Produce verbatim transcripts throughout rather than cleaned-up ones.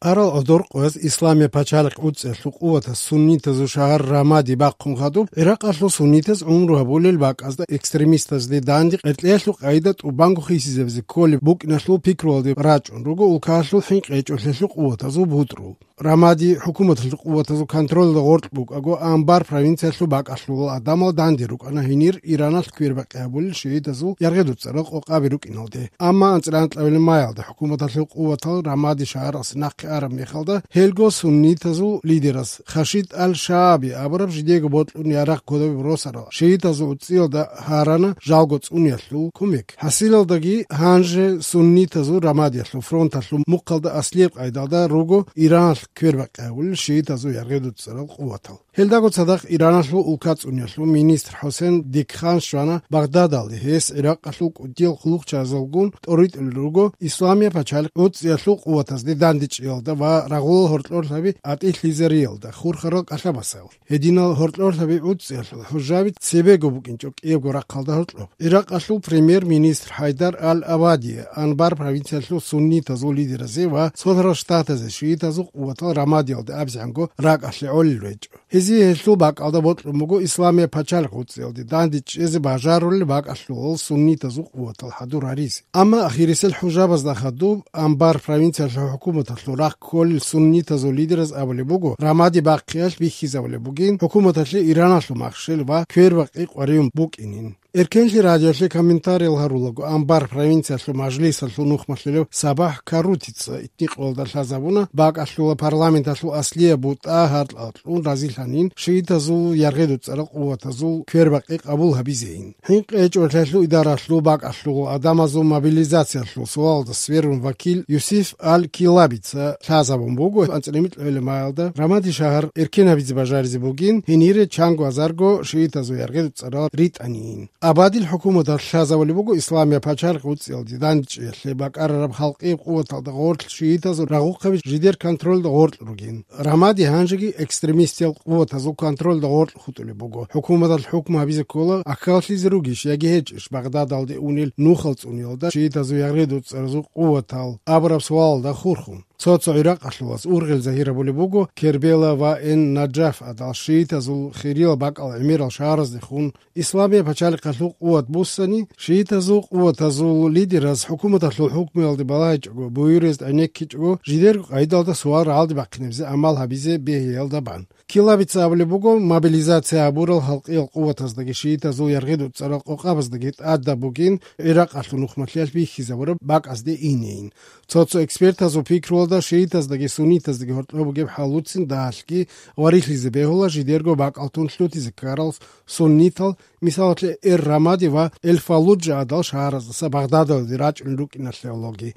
Арал гӀодор къояз Исламия пачалихъ уцӀиялъул къуватас суннитазул шагьар Рамади бахъун хадуб, Иракъалъул суннитаз гӀумру гьабулел бакӀазда экстремистазде данде къеркьеялъул къайда тӀубанго хисизабизе кколеб букӀиналъул пикруялде рачӀун руго улкаялъул хӀинкъи гьечӀолъиялъул къуватазул бутӀрул. Рамади хӀукуматалъул къуватазул контролда гъоркь букӀаго, Анбар провинциялъул бакӀалъулал гӀадамал данде рукӀана гьенир Ираналъ квербакъи гьабулел шигьидазул яргъи-дуцӀарал къокъаби рукӀиналде. Амма анцӀила анкьабилеб маялда хӀукуматалъул къуватал Рамади шагьарасе нахъе араб мехалда, гьелго суннитазул лидерас Хашид ал-Шааби абураб жидеего бокьун ярагъ кодобе росарал шигьидазул уцӀиялда гьарана жалго цӀуниялъул кумек. ХӀасилалдаги гьанже суннитазул Рамадиялъул фронталъул мухъалда аслияб къайдалда руго Ираналъ квербакъи гьабулел шигьидазул яргъи-дуцӀарал къуватал. Гьелдаго цадахъ Ираналъул улкацӀуниялъул министр ХӀусен Дикхан щвана Багъдадалде, гьес Иракъалъул кӀудиял хъулухъчагӀазулгун тӀоритӀулел руго Исламия пачалихъ уцӀиялъул къуватазде дандечӀиялда ва рагъулал гьоркьорлъаби атӀилъизариялда хурхарал кӀалъабасал. Гьединал гьоркьорлъаби уцӀиялъул хӀужаби цебего букӀинчӀо кӀиябго рахъалда гьоркьоб. Иракъалъул премьер-министр ХӀайдар ал-Абади Анбар провинциялъул суннитазул лидеразе ва Цолъарал Штатазе шиитазул къуватал Рамадиялда абизанго ракӀалъе гӀолел речӀо. Гьезие гьелъул бакӀалда бокьун буго Исламия пачалихъ уцӀиялде данде чӀезе бажарулел бакӀалъулал суннитазул къуватал хӀадур гьаризе. Амма ахирисел хӀужабазда хадуб, Анбар провинциялъул хӀукуматалъул рахъ кколел суннитазул лидераз абулеб буго, Рамади бахъиялъ бихьизабулеб бугин, хӀукуматалъе Ираналъул махщел ва квербакъи къваригӀун букӀинин. Эркенлъи радиоялъе комментариял гьарулаго, Анбар провинциялъул мажлисалъул нухмалъулев Сабахь Карутица итникъоялда лъазабуна, бакӀалъула парламенталъул аслияб бутӀа гьаркьалкьун разилъанин шиитазул яргъи-дуцӀарал къуватазул квербакъи къабул гьабизейин. ХӀинкъи гьечӀолъиялъул идаралъул бакӀалъул гӀадамазул мобилизациялъул суалалда сверун вакил Юсиф ал-Килабица лъазабун буго, анцӀила микьабилеб маялда Рамади шагьар эркен гьабизе бажаризе бугин, гьенире чанго азарго шиитазул яргъи-дуцӀарал ритӀанийин. Абадил хӀукуматалъ лъазабулеб буго Исламия пачалихъ уцӀиялде дандчӀиялъе бакӀарараб халкъияб къуваталда гъорлъ шиитазул рагъухъаби жидер контролда гъорлъ ругин. Рамади гьанжеги экстремистиял къуватазул контролда гъорлъ хутӀулеб буго. ХӀукуматалъ хӀукму гьабизе ккола, ахӀкаллъизе ругищ яги гьечӀищ Багъдадалде унел нухал цӀуниялда шиитазул яргъи-дуцӀаразул къуватал абураб суалалда хурхун. Цо-цо Иракъалъулаз ургъел загьир гьабулеб буго Кербела ва Эн-Наджаф гӀадал шиитазул хириял бакӀал гӀемерал шагьараздехун. Исламия пачалихъалъул къуват буссани, шиитазул къуватазул лидераз хӀукуматалъул хӀукмуялде балагьичӀого, буюрез гӀенеккичӀого, жидерго къайдалда суал рагӀалде бахъинабизе гӀамал гьабизе бегьиялда бан. Килабица абулеб буго, мобилизация гьабурал халкъиял къуватаздаги шиитазул яргъи-дуцӀарал къокъабаздаги тӀадаб бугин Иракъалъул нухмалъиялъ бихьизабураб бакӀазде инейин. Цо-цо экспертазул пикруялда шиитаздаги суннитаздаги гьоркьоб бугеб хӀалуцин дагьалъги варилъизе бегьула жидерго бакӀалтун лъутизе ккарал суннитал, мисалалъе, Эр-Рамади ва Эль-Фаллуджа гӀадал шагьараздаса Багъдадалде рачӀунел рукӀиналъе гӀологи.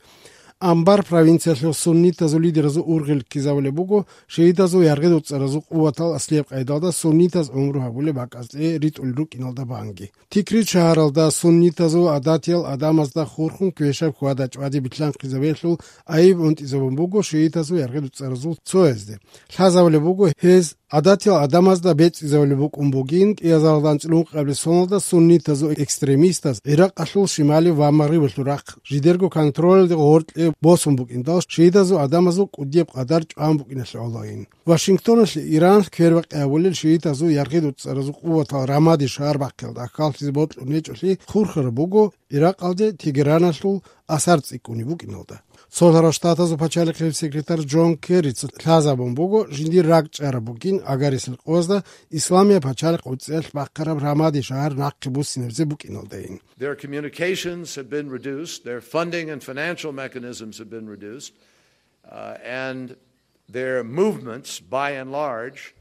Анбар провинциялъул суннитазул лидеразул ургъел ккезабулеб буго, шиитазул яргъи-дуцӀаразул къуватал аслияб къайдалда суннитаз гӀумру гьабулеб бакӀазде ритӀулел рукӀиналда банги. Тикрит шагьаралда суннитазул гӀадатиял гӀадамазда хурхун квешаб хьвада-чӀвади билълъанхъизабиялъул айиб гӀунтӀизабун буго шиитазул яргъи-дуцӀаразул цоязде. Лъазабулеб буго, гьез гӀадатиял гӀадамазда бецӀизабулеб букӀун бугин, кӀиазаралда анцӀила ункъабилеб соналда суннитазул экстремистаз Иракъалъул шималив ва магърибалъул рахъ жидерго контролалде гъоркье босун букӀиндал, шиитазул гӀадамазул кӀудияб къадар чӀван букӀиналъе гӀологин. Вашингтоналъе Иран квербакъи гьабулел шиитазул яргъи-дуцӀаразул къуватал Рамади шагьар бахъиялда ахӀкаллъизе бокьун гьечӀолъи хурхараб буго Иракъалде Тегераналъул асар цӀикӀкӀунеб букӀиналда. Цолъарал Штатазул пачалихъияб секретарь Джон Керрица лъазабун буго, жиндир ракӀчӀараб бугин агарисел къоязда Исламия пачалихъ уцӀиялъ бахъараб Рамади шагьар нахъе буссинабизе букӀиналдайин. Their communications have been reduced, their funding and financial mechanisms have been reduced, uh, and their movements, by and large,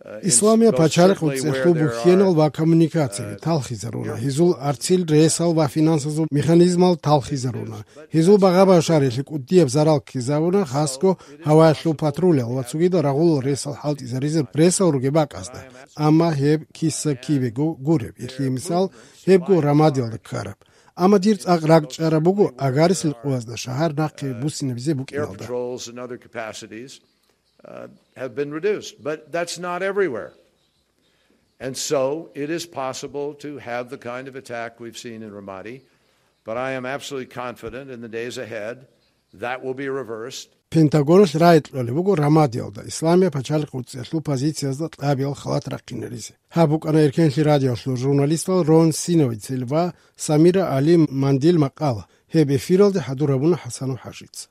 uh, in Исламия most пачалихъ certainly where уцӀиялъул there бухьенал are, ва коммуникацияби uh, талхизаруна, гьезул арцил ресал ва финансазул механизмал талхизаруна, гьезул багъа-башариялъе кӀудияб зарал ккезабуна, хасго гьаваялъул патрулал ва цогидал рагъулал ресал хӀалтӀизаризе ресал ругеб бакӀазда. Амма гьеб киса-кибего гуреб, гьелъие мисал, гьебго Рамадиялда ккараб. Амма дир цӀакъ ракӀчӀараб буго агарисел къоязда шагьар нахъе буссинабизе Air букӀиналда. Patrols and other capacities, uh, have been reduced, but that's not everywhere. And so it is possible to have the kind of attack we've seen in Ramadi, but I am absolutely confident in the days ahead that will be reversed. Пентагоналъ рагӀи кьолеб буго Рамадиялда исламияб пачалихъ гӀуцӀиялъул позициязда кьабиял халат рахъинаризе. Гьаб букӀана Эркенлъи радиоялъул журналистал Рон Синовицел ва Самира Али Мандил макъала. Гьеб эфиралде хӀадур гьабуна ХӀасанов ХӀажица.